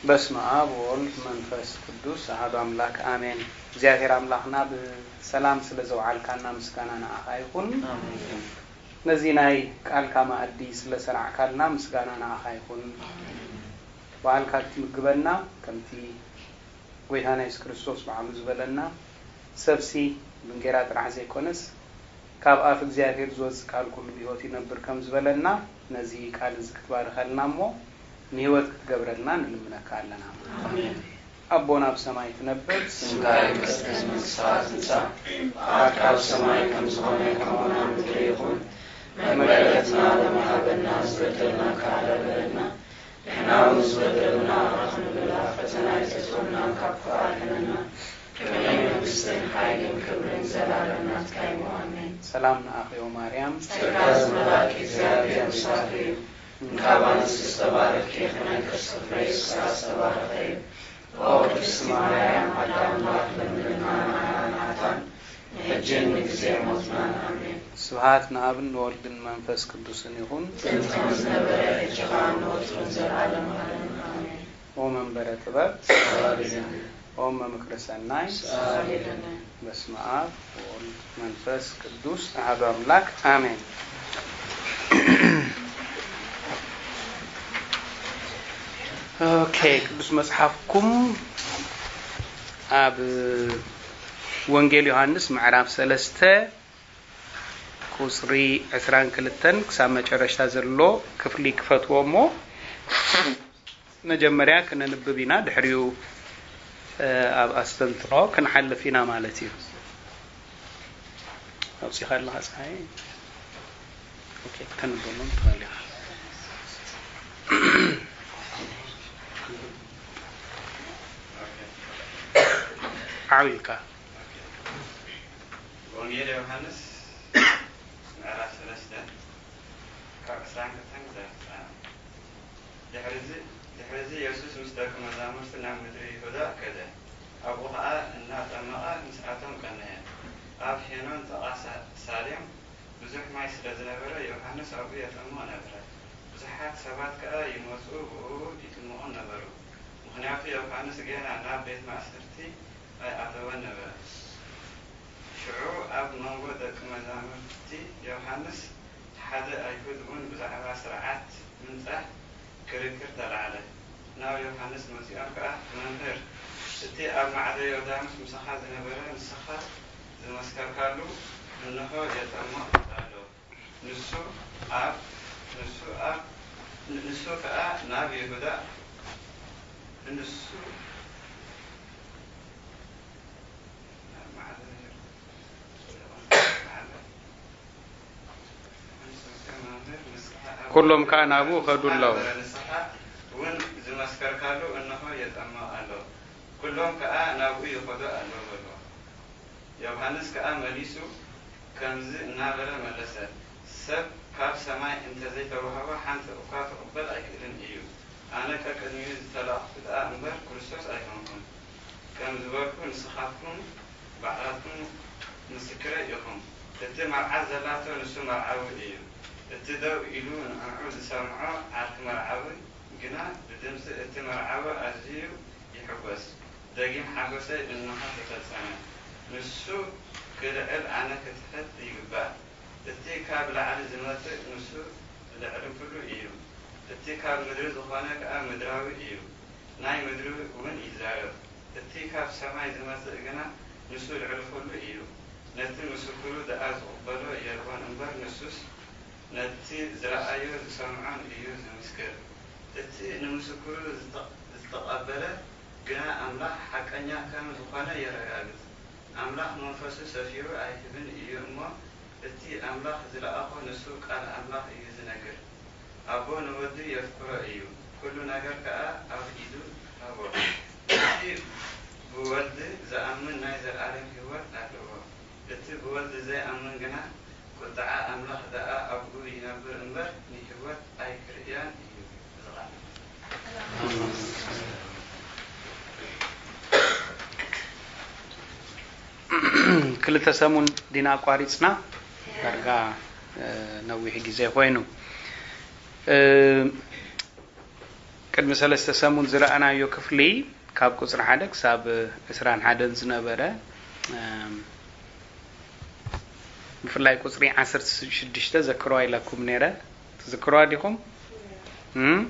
በስመ አብ ወወልድ መንፈስ ቅዱስ አሐዱ አምላክ አሜን። እግዚኣብሔር አምላክና ብሰላም ስለ ዘውዓልካና ምስጋና ንዓኻ ይኹን። ነዚ ናይ ቃልካ መኣዲ ስለ ሰራዕካልና ምስጋና ንዓኻ ይኹን። በዓልካ ትምግበና ከምቲ ጎይታና የሱስ ክርስቶስ በዓሉ ዝበለና፣ ሰብሲ ብእንጌራ ጥራሕ ዘይኮነስ ካብ ኣፍ እግዚኣብሔር ዝወጽእ ቃል ኩሉ ብህይወት ይነብር ከም ዝበለና፣ ነዚ ቃል እዚ ክትባርኸልና እሞ ንህይወት ክትገብረልና ንልምነካ ኣለና። ኣሜን። ኣቦና ኣብ ሰማይ ትነብር፣ ስምካ ይቀደስ፣ መንግስትኻ ትምጻእ፣ ፍቓድካ ኣብ ሰማይ ከም ዝኾነ ከምኡ ኣብ ምድሪ ይኹን። መግበረትና ሎሚ ሃበና፣ ዝበደልና ከኣ በደልና ንሕና እውን ዝበደሉና ይቕረ ክንብል፣ ኣብ ፈተና ኣይተእትወና፣ ካብ ክፉእ ኣድሕነና። ከመይ መንግስትን ሓይልን ክብርን ዘላለም ናትካ እዩ። ኣሜን። ሰላም ንኣኺ ኦ ማርያም። ጸጋ ዝመላእኪ እግዚኣብሔር ምሳኺ እዩ። እንካብ ኣንስቲ ዝተባረኽኪ ኢኺ፣ ናይ ከርስኺ ፍረ ኢየሱስ ከዓ ዝተባረኸ እዩ። ኦ ቅድስቲ ማርያም ኣደ ኣምላኽ ለምንልና ንዓና ንሓጣን ሕጂን ንግዜ ሞትናን። ኣሜን። ስብሐት ንኣብን ንወልድን መንፈስ ቅዱስን ይኹን። ጥንቲ ከም ዝነበረ፣ ሕጂ ኸኣ ንወትሩን ዘለዓለም ዓለምን። ኣሜን። ኦ መንበረ ጥበብ፣ ሰላም ይለኒ። ኦ መምክሪ ሰናይ፣ ሰላም ይለኒ። በስመ አብ ወወልድ መንፈስ ቅዱስ አሐዱ አምላክ አሜን። ኦኬ፣ ቅዱስ መጽሓፍኩም ኣብ ወንጌል ዮሃንስ ምዕራፍ ሰለስተ ቁጽሪ ዕስራን ክልተን ክሳብ መጨረሽታ ዘሎ ክፍሊ ክፈትዎ እሞ፣ መጀመርያ ክነንብብ ኢና፣ ድሕሪኡ ኣብ ኣስተንትኖ ክንሓልፍ ኢና ማለት እዩ። ኣውጺኻ ኣለኻ ጸሓይ? ኦኬ፣ ከተንብቦም ትኽእል ኢኻ። ዓው ኢልካ። ወንጌል ዮሃንስ ምዕራፍ ሰለስተ ካብ ዕስራን ክልተን ክሳብ ዕስራን። ድሕርዚ ድሕርዚ የሱስ ምስ ደቂ መዛሙርቲ ናብ ምድሪ ይሁዳ ከደ። ኣብኡ ኸኣ እናጠመቐ ምስኣቶም ቀነየ። ኣብ ሄኖን ጥቓ ሳ- ሳሌም ብዙሕ ማይ ስለ ዝነበረ ዮሃንስ ኣብኡ የጠምቕ ነበረ። ብዙሓት ሰባት ከኣ ይመጹ ብእኡ ይጥምቑን ነበሩ። ምኽንያቱ ዮሃንስ ጌና ናብ ቤት ማእሰርቲ ኣይኣተወን ነበረ። ሽዑ ኣብ መንጎ ደቂ መዛሙርቲ ዮሃንስ ሓደ ኣይሁድ እውን ብዛዕባ ስርዓት ምንጻህ ክርክር ተላዕለ። ናብ ዮሃንስ መጺኦም ከኣ፣ መምህር፣ እቲ ኣብ ማዕዶ ዮርዳኖስ ምሳኻ ዝነበረ ንስኻ ዝመስከርካሉ እንሆ የጠምቕ ኣሎ። ንሱ ኣብ ንሱ ኣብ ንሱ ከኣ ናብ ይሁዳ ንሱ ኩሎም ከኣ ናብኡ ኸዱ ኣለዉ። ንስኻ እውን ዝመስከርካሉ እንሆ የጠምቕ ኣሎ። ኩሎም ከኣ ናብኡ ይኸዱ ኣለዉ በልዎ። ዮሃንስ ከኣ መሊሱ ከምዚ እናበለ መለሰ፣ ሰብ ካብ ሰማይ እንተ ዘይተዋህቦ ሓንቲ እኳ ክቕበል ኣይክእልን እዩ። ኣነ ቀቅድሚኡ ዝተላእኹ ደኣ እምበር ክርስቶስ ኣይኮንኩን። ከም ዝበልኩ ንስኻትኩም ባዕላትኩም ምስክረይ ኢኹም። እቲ መርዓት ዘላቶ ንሱ መርዓዊ እዩ። እቲ ደው ኢሉ ንዕዑ ዝሰምዖ ዓርኪ መርዓዊ ግና ብድምጺ እቲ መርዓዊ ኣዝዩ ይሕጎስ። ደጊም ሓጎሰይ እንሆ ተፈጸመ። ንሱ ክልዕል ኣነ ክትሕት ይግባእ። እቲ ካብ ላዕሊ ዝመጽእ ንሱ ልዕሊ ኩሉ እዩ። እቲ ካብ ምድሪ ዝኾነ ከኣ ምድራዊ እዩ፣ ናይ ምድሪ እውን ይዛረብ። እቲ ካብ ሰማይ ዝመጽእ ግና ንሱ ልዕሊ ኩሉ እዩ። ነቲ ምስክሩ ደኣ ዝቕበሎ የልቦን እምበር፣ ንሱስ ነቲ ዝረኣዮ ዝሰምዖን እዩ ዝምስክር። እቲ ንምስክሩ ዝተ- ዝተቐበለ ግና ኣምላኽ ሓቀኛ ከም ዝኾነ የረጋግጽ። ኣምላኽ መንፈሱ ሰፊሩ ኣይህብን እዩ እሞ፣ እቲ ኣምላኽ ዝለኣኾ ንሱ ቃል ኣምላኽ እዩ ዝነግር። ኣቦ ንወዱ የፍቅሮ እዩ፣ ኩሉ ነገር ከኣ ኣብ ኢዱ ሃቦ። እቲ ብወልድ ዝኣምን ናይ ዘለኣለም ህይወት ኣለዎ፣ እቲ ብወልድ ዘይኣምን ግና ቁጥዓ ኣምላኽ ደኣ ኣብኡ ይነብር እምበር ንህይወት ኣይክርእያን እዩ። እዚ ቃል ክልተ ሰሙን ዲና ኣቋሪጽና፣ ዳርጋ ነዊሕ ግዜ ኮይኑ። ቅድሚ ሰለስተ ሰሙን ዝረኣናዮ ክፍሊ ካብ ቁጽሪ ሓደ ክሳብ ዕስራን ሓደን ዝነበረ፣ እም፣ ብፍላይ ቁጽሪ ዓሰርተ ሽዱሽተ ዘክርዋ ኢለኩም ነይረ። ትዝክርዋ ዲኹም? እም?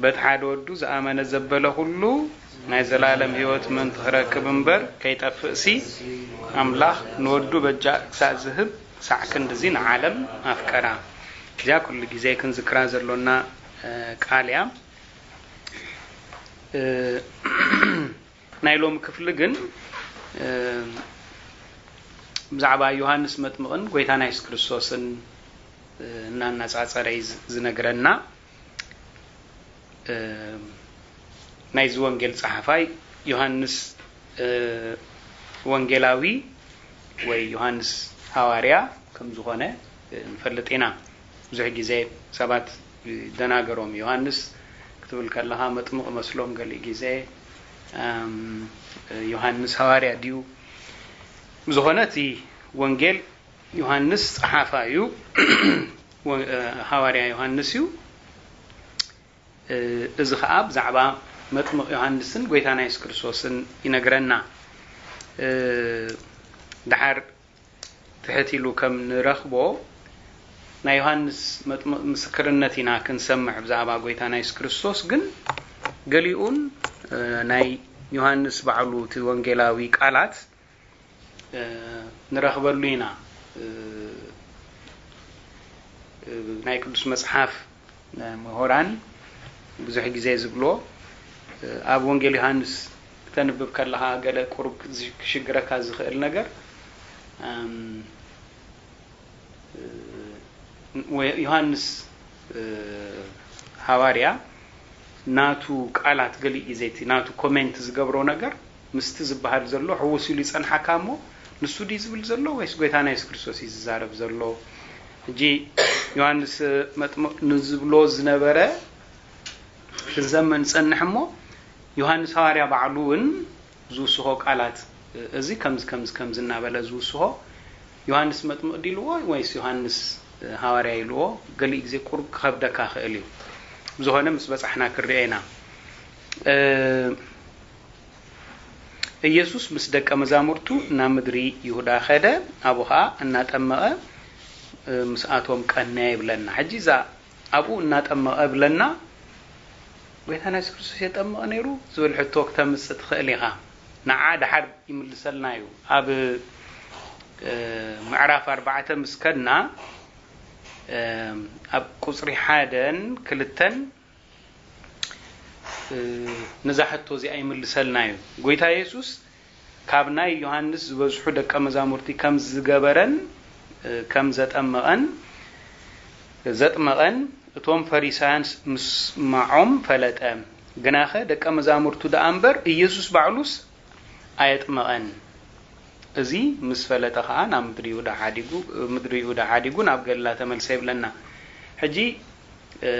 በቲ ሓደ ወዱ ዝኣመነ ዘበለ ኩሉ ናይ ዘላለም ህይወት ምእንቲ ክረክብ እምበር ከይጠፍእሲ፣ ኣምላኽ ንወዱ በጃ ክሳእ ዝህብ ሳዕ ክንድዚ ንዓለም ኣፍቀራ። እዚኣ ኩሉ ግዜ ክንዝክራ ዘሎና፣ እ፣ ቃል እያ። እ፣ ናይ ሎሚ ክፍሊ ግን፣ እ፣ ብዛዕባ ዮሃንስ መጥምቕን ጎይታና የሱስ ክርስቶስን፣ እ፣ እናነጻጸረ እዩ ዝ-፣ ዝነግረና። እ፣ ናይዚ ወንጌል ጸሓፋይ ዮሃንስ፣ እ፣ ወንጌላዊ ወይ ዮሃንስ ሃዋርያ ከም ዝኾነ፣ እ፣ ንፈልጥ ኢና። ብዙሕ ግዜ ሰባት ይደናገሮም። ዮሃንስ ክትብል ከለኻ መጥምቕ መስሎም ገሊእ ግዜ፣ እም፣ ዮሃንስ ሃዋርያ ድዩ? ብዝኾነ እቲ ወንጌል ዮሃንስ ጸሓፋ እዩ። ወ-፣ እ፣ ሃዋርያ ዮሃንስ እዩ። እ፣ እዚ ኸኣ ብዛዕባ መጥምቕ ዮሃንስን ጎይታና የሱስ ክርስቶስን ይነግረና። እ፣ ደሓር ትሕት ኢሉ ከም ንረኽቦ ናይ ዮሃንስ መጥምቕ ምስክርነት ኢና ክንሰምዕ ብዛዕባ ጎይታና የሱስ ክርስቶስ። ግን ገሊኡን፣ እ፣ ናይ ዮሃንስ ባዕሉ እቲ ወንጌላዊ ቃላት፣ እ፣ ንረኽበሉ ኢና። እ፣ እ፣ ናይ ቅዱስ መጽሓፍ፣ እ፣ ምሁራን ብዙሕ ግዜ ዝብሎ፣ እ፣ ኣብ ወንጌል ዮሃንስ ክተንብብ ከለኻ ገለ ቁሩብ ክዝ-፣ ክሽግረካ ዝኽእል ነገር፣ እም፣ እ፣ ወ-፣ ዮሃንስ፣ እ፣ ሃዋርያ ናቱ ቃላት ገሊኡ ግዜ እቲ ናቱ ኮሜንት ዝገብሮ ነገር ምስቲ ዝበሃል ዘሎ ሕውስ ኢሉ ይጸንሓካ እሞ፣ ንሱ ድዩ ዝብል ዘሎ ወይስ ጎይታና የሱስ ክርስቶስ እዩ ዝዛረብ ዘሎ? ሕጂ ዮሃንስ መጥምቕ ንዝብሎ ዝነበረ ክንሰምዕ ንጸንሕ እሞ፣ ዮሃንስ ሃዋርያ ባዕሉ እውን ዝውስኾ ቃላት፣ እዚ ከምዚ፣ ከምዚ፣ ከምዚ እናበለ ዝውስኾ፣ ዮሃንስ መጥምቕ ድዩ ኢልዎ ወይስ ዮሃንስ ሃዋርያ ኢልዎ? ገሊኡ ግዜ ቁሩብ ክኸብደካ ክእል እዩ። ብዝኾነ ምስ በጻሕና ክንሪኦ ኢና። እ፣ ኢየሱስ ምስ ደቀ መዛሙርቱ ናብ ምድሪ ይሁዳ ኸደ፣ ኣብኡ ኸኣ እናጠመቐ፣ እ፣ ምስኣቶም ቀነየ ይብለና። ሕጂ እዛ ኣብኡ እናጠመቐ ብለና፣ ጎይታና የሱስ ክርስቶስ የጠምቕ ነይሩ ዝብል ሕቶ ክተምጽእ ትኽእል ኢኻ። ንዓ ደሓር ይምልሰልና እዩ። ኣብ፣ እ፣ ምዕራፍ ኣርባዕተ ምስ ከድና፣ እ፣ ኣብ ቁጽሪ ሓደን ክልተን፣ እ፣ ነዛ ሕቶ እዚኣ ይምልሰልና እዩ። ጎይታ የሱስ ካብ ናይ ዮሃንስ ዝበዝሑ ደቀ መዛሙርቲ ከም ዝገበረን፣ እ፣ ከም ዘጠመቐን፣ ዘጥመቐን እቶም ፈሪሳውያን ምስማዖም ፈለጠ። ግናኸ ደቀ መዛሙርቱ ደኣ እምበር ኢየሱስ ባዕሉስ ኣየጥመቐን። እዚ ምስ ፈለጠ ኸኣ ናብ ምድሪ ይሁዳ ሓዲጉ፣ ምድሪ ይሁዳ ሓዲጉ ናብ ገሊላ ተመልሰ ይብለና። ሕጂ፣ እ፣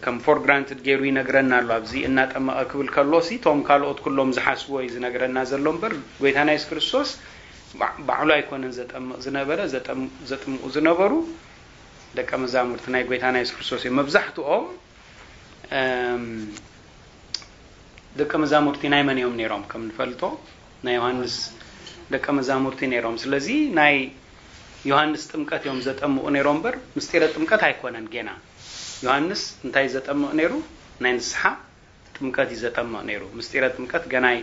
ከም ፎር ግራንትድ ገይሩ ይነግረና ኣሎ። ኣብዚ እናጠመቐ ክብል ከሎሲ፣ እቶም ካልኦት ኩሎም ዝሓስብዎ እዩ ዝነግረና ዘሎ እምበር፣ ጎይታና የሱስ ክርስቶስ ባ-፣ ባዕሉ ኣይኮነን ዘጠምቕ ዝነበረ፣ ዘጠም-፣ ዘጥምቑ ዝነበሩ ደቀ መዛሙርቲ ናይ ጎይታና የሱስ ክርስቶስ እዮም። መብዛሕትኦም፣ እም፣ ደቀ መዛሙርቲ ናይ መን እዮም ነይሮም? ከም ንፈልጦ፣ ናይ ዮሃንስ ደቀ መዛሙርቲ ነይሮም። ስለዚ ናይ ዮሃንስ ጥምቀት እዮም ዘጠምቑ ነይሮም እምበር፣ ምስጢረ ጥምቀት ኣይኮነን ጌና። ዮሃንስ እንታይ ዘጠምቕ ነይሩ? ናይ ንስሓ ጥምቀት እዩ ዘጠምቕ ነይሩ። ምስጢረ ጥምቀት ገናይ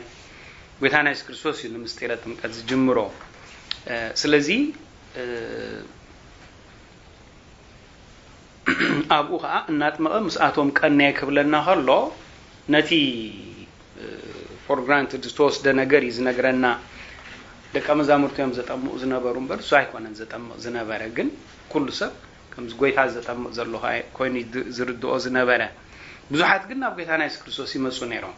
ጎይታና የሱስ ክርስቶስ እዩ ንምስጢረ ጥምቀት ዝጅምሮ። እ፣ ስለዚ፣ እ፣ ኣብኡ ኸዓ እናጥመቐ ምስኣቶም ቀነየ ክብለና ከሎ፣ ነቲ፣ እ፣ ፎር ግራንትድ ዝተወስደ ነገር እዩ ዝነግረና። ደቀ መዛሙርቱ እዮም ዘጠምቑ ዝነበሩ እምበር፣ እሱ ኣይኮነን ዘጠምቕ ዝነበረ። ግን ኩሉ ሰብ ከምዚ ጎይታ ዘጠምቕ ዘሎ ኸዓ ኮይኑ ይድ-፣ ዝርድኦ ዝነበረ። ብዙሓት ግን ናብ ጎይታና የሱስ ክርስቶስ ይመጹ ነይሮም።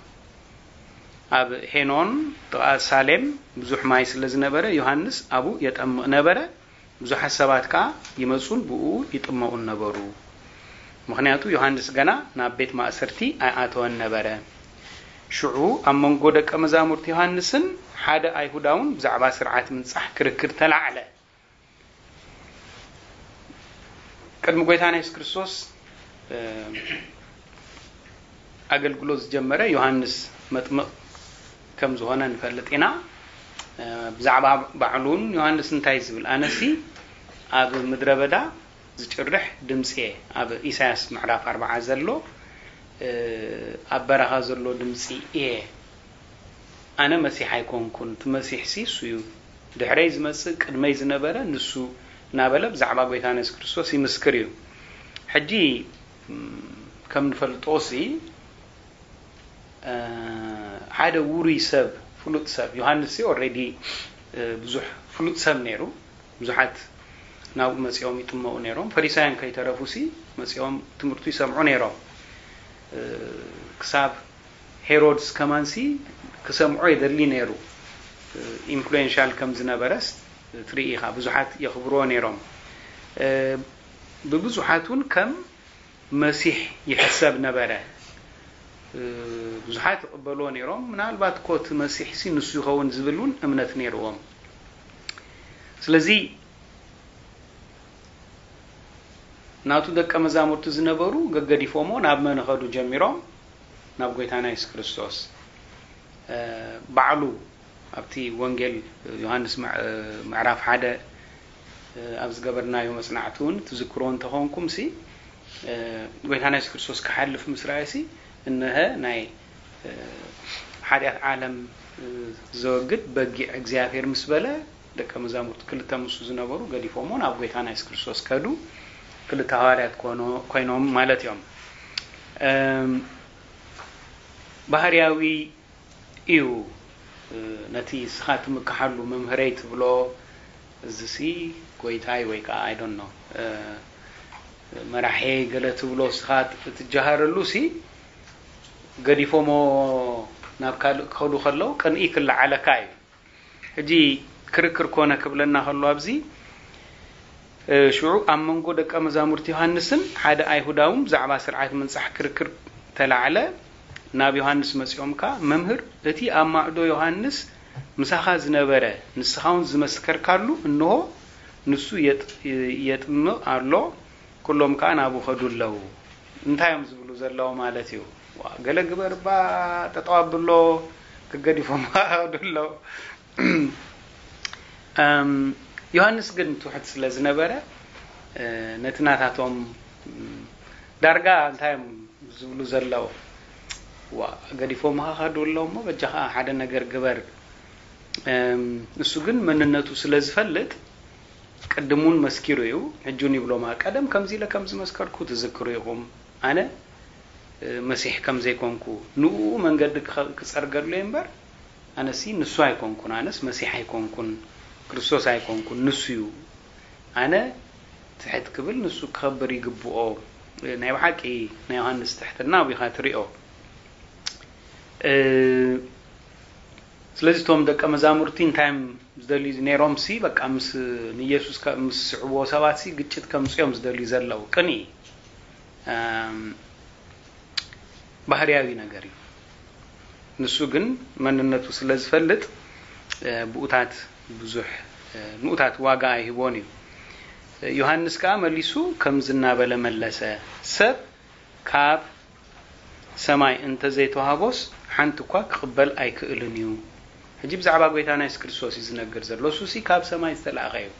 ኣብ ሄኖን ጥቓ ሳሌም ብዙሕ ማይ ስለ ዝነበረ፣ ዮሃንስ ኣብኡ የጠምቕ ነበረ። ብዙሓት ሰባት ከኣ ይመጹን ብእኡ ይጥመቑን ነበሩ። ምኽንያቱ ዮሃንስ ገና ናብ ቤት ማእሰርቲ ኣይኣተወን ነበረ። ሽዑ ኣብ መንጎ ደቀ መዛሙርቲ ዮሃንስን ሓደ ኣይሁዳውን ብዛዕባ ስርዓት ምንጻሕ ክርክር ተላዕለ። ቅድሚ ጎይታና የሱስ ክርስቶስ፣ እ፣ ኣገልግሎት ዝጀመረ ዮሃንስ መጥምቕ ከም ዝኾነ ንፈልጥ ኢና። ብዛዕባ ባዕሉ እውን ዮሃንስ እንታይ ዝብል? ኣነሲ ኣብ ምድረ በዳ ዝጭርሕ ድምፂ እየ። ኣብ ኢሳያስ ምዕራፍ ኣርባዓ ዘሎ ኣብ በረኻ ዘሎ ድምፂ እየ። ኣነ መሲሕ ኣይኮንኩን፣ እቲ መሲሕ ሲ እሱ እዩ። ድሕረይ ዝመጽእ ቅድመይ ዝነበረ ንሱ እናበለ ብዛዕባ ጎይታና የሱስ ክርስቶስ ይምስክር እዩ። ሕጂ ከም ንፈልጦ ሲ ሓደ ውሩይ ሰብ፣ ፍሉጥ ሰብ፣ ዮሃንስ ሲ ኦልሬዲ ብዙሕ ፍሉጥ ሰብ ነይሩ። ብዙሓት ናብኡ መጺኦም ይጥመቑ ነይሮም። ፈሪሳውያን ከይተረፉ ሲ መጺኦም ትምህርቱ ይሰምዑ ነይሮም። ክሳብ ሄሮድስ ከማንሲ ክሰምዖ የደሊ ነይሩ። ኢንፍሉዌንሻል ከም ዝነበረስ ትርኢ ኢኻ። ብዙሓት የኽብርዎ ነይሮም። ብብዙሓት እውን ከም መሲሕ ይሕሰብ ነበረ። ብዙሓት ይቕበልዎ ነይሮም። ምናልባት እኮ እቲ መሲሕ ሲ ንሱ ይኸውን ዝብል እውን እምነት ነይርዎም። ስለዚ ናቱ ደቀ መዛሙርቲ ዝነበሩ ገገዲፎሞ ናብ መን ኸዱ ጀሚሮም? ናብ ጎይታና የሱስ ክርስቶስ። ባዕሉ ኣብቲ ወንጌል ዮሃንስ ምዕራፍ ሓደ ኣብ ዝገበርናዮ መጽናዕቲ እውን ትዝክሮ እንተኾንኩም ሲ ጎይታና የሱስ ክርስቶስ ክሓልፍ ምስ ረኣየ ሲ እነሀ ናይ ሓጢኣት ዓለም ዘወግድ በጊዕ እግዚኣብሔር ምስ በለ ደቀ መዛሙርቱ ክልተ ምስኡ ዝነበሩ ገዲፎሞ ናብ ጎይታና የሱስ ክርስቶስ ከዱ። ክልተ ሃዋርያት ኮይኖም ማለት እዮም። ባህርያዊ እዩ። ነቲ እስኻ ትምክሓሉ መምህረይ ትብሎ እዚሲ ጎይታይ ወይ ከዓ ኣይዶኖ መራሒ ገለ ትብሎ እስኻ ትጀሃረሉ ሲ ገዲፎሞ ናብ ካልእ ክኸዱ ከለዉ ቅንኢ ክለዓለካ እዩ። ሕጂ ክርክር ኮነ ክብለና ከሎ ኣብዚ ሽዑ ኣብ መንጎ ደቀ መዛሙርቲ ዮሃንስን ሓደ ኣይሁዳውን ብዛዕባ ስርዓት ምንጻሕ ክርክር ተላዕለ። ናብ ዮሃንስ መጺኦም ከኣ መምህር እቲ ኣብ ማዕዶ ዮሃንስ ምሳኻ ዝነበረ ንስኻ እውን ዝመስከርካሉ እንሆ ንሱ የጥምቕ ኣሎ። ኩሎም ከኣ ናብኡ ከዱ ኣለዉ። እንታይ እዮም ዝብሉ ዘለዉ ማለት እዩ? ገለ ግበር እባ ጠጠው ኣብሎ። ክገዲፎም ከዱ ኣለዉ። ዮሃንስ ግን ትሑት ስለ ዝነበረ ነቲ ናታቶም ዳርጋ እንታይ እዮም ዝብሉ ዘለዉ? ዋ ገዲፎም ከዱ ኣለዉ እሞ በጃኻ ሓደ ነገር ግበር። እሱ ግን መንነቱ ስለ ዝፈልጥ ቅድም እውን መስኪሩ እዩ። ሕጂ እውን ይብሎም ቀደም ከምዚ ኢለ ከም ዝመስከርኩ ትዝክሩ ኢኹም። ኣነ መሲሕ ከም ዘይኮንኩ ንኡ መንገዲ ክጸርገሉ እየ እምበር ኣነሲ ንሱ ኣይኮንኩን። ኣነስ መሲሕ ኣይኮንኩን፣ ክርስቶስ ኣይኮንኩን፣ ንሱ እዩ። ኣነ ትሕት ክብል ንሱ ክኸብር ይግብኦ። ናይ ብሓቂ ናይ ዮሃንስ ትሕትና ኣቢኻ ትሪኦ። ስለዚ እቶም ደቀ መዛሙርቲ እንታይ እዮም ዝደልዩ ነይሮም ሲ በቃ ምስ ንኢየሱስ ምስ ዝስዕብዎ ሰባት ሲ ግጭት ከምፅኦም ዝደልዩ ዘለዉ ቅኒ ባህርያዊ ነገር እዩ። ንሱ ግን መንነቱ ስለ ዝፈልጥ ብኡታት ብዙሕ ንኡታት ዋጋ ኣይህቦን እዩ። ዮሃንስ ከኣ መሊሱ ከምዚ እናበለ መለሰ፣ ሰብ ካብ ሰማይ እንተዘይተዋህቦስ ሓንቲ እኳ ክቕበል ኣይክእልን እዩ። ሕጂ ብዛዕባ ጎይታና የሱስ ክርስቶስ እዩ ዝነግር ዘሎ። እሱሲ ካብ ሰማይ ዝተላእኸ እዩ።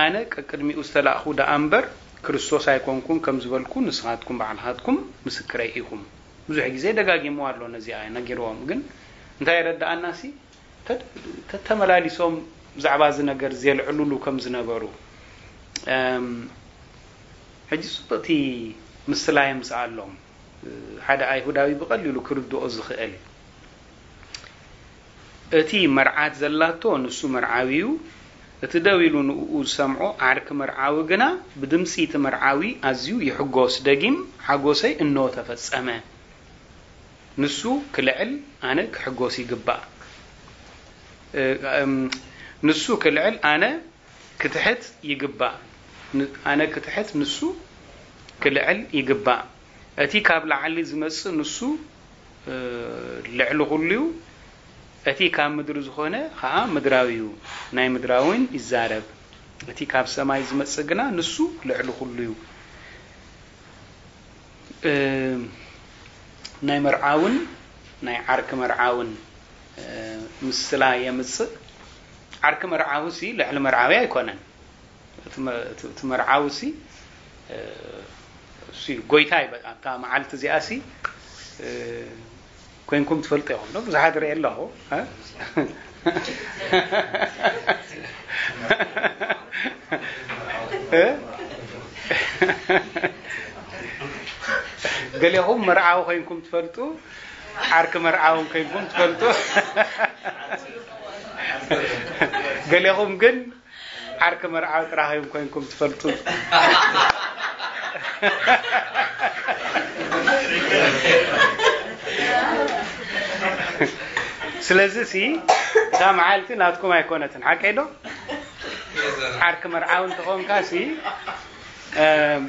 ኣነ ቀቅድሚኡ ዝተላእኹ ደኣ እምበር ክርስቶስ ኣይኮንኩን ከም ዝበልኩ ንስኻትኩም ባዕልኻትኩም ምስክረይ ኢኹም። ብዙሕ ግዜ ደጋጊምዎ ኣሎ ነዚኣ ነጊርዎም። ግን እንታይ የረድኣናሲ ተተመላሊሶም ብዛዕባ እዚ ነገር ዘልዕሉሉ ከም ዝነበሩ። ሕጂ ጽብቕቲ ምስላ የምጽኣሎም። ሓደ ኣይሁዳዊ ብቐሊሉ ክርድኦ ዝኽእል እቲ መርዓት ዘላቶ ንሱ መርዓዊ እዩ። እቲ ደው ኢሉ ንእኡ ዝሰምዖ ዓርኪ መርዓዊ ግና ብድምጺ እቲ መርዓዊ ኣዝዩ ይሕጎስ፣ ደጊም ሓጎሰይ እንሆ ተፈጸመ። ንሱ ክልዕል ኣነ ክሕጎስ ይግባእ። ንሱ ክልዕል ኣነ ክትሕት ይግባእ። ኣነ ክትሕት ንሱ ክልዕል ይግባእ። እቲ ካብ ላዕሊ ዝመጽእ ንሱ ልዕሊ ኩሉ እዩ። እቲ ካብ ምድሪ ዝኾነ ኸዓ ምድራዊ እዩ፣ ናይ ምድራዊን ይዛረብ። እቲ ካብ ሰማይ ዝመጽእ ግና ንሱ ልዕሊ ኩሉ እዩ። እ፣ ናይ መርዓውን ናይ ዓርኪ መርዓውን፣ እ፣ ምስላ የምጽእ። ዓርኪ መርዓዊ ሲ ልዕሊ መርዓዊ ኣይኮነን። እቲ መ-፣ እቲ፣ እቲ መርዓዊ ሲ፣ እ፣ እሱ እዩ ጎይታ እዩ። በቃ ኣብታ መዓልቲ እዚኣ ሲ፣ እ፣ ኮይንኩም ትፈልጡ ኢኹም ዶ? ብዙሓት ርኢ ኣለኹ፣ እ? እ? ገሌኹም መርዓዊ ኮይንኩም ትፈልጡ፣ ዓርኪ መርዓውን ኮይንኩም ትፈልጡ። ገሌኹም ግን ዓርኪ መርዓዊ ጥራሕ እዮም ኮይንኩም ትፈልጡ። ስለዚ ሲ እታ መዓልቲ ናትኩም ኣይኮነትን፣ ሓቀይ ዶ? ዓርኪ መርዓዊ እንተኾንካ ሲ፣ እም፣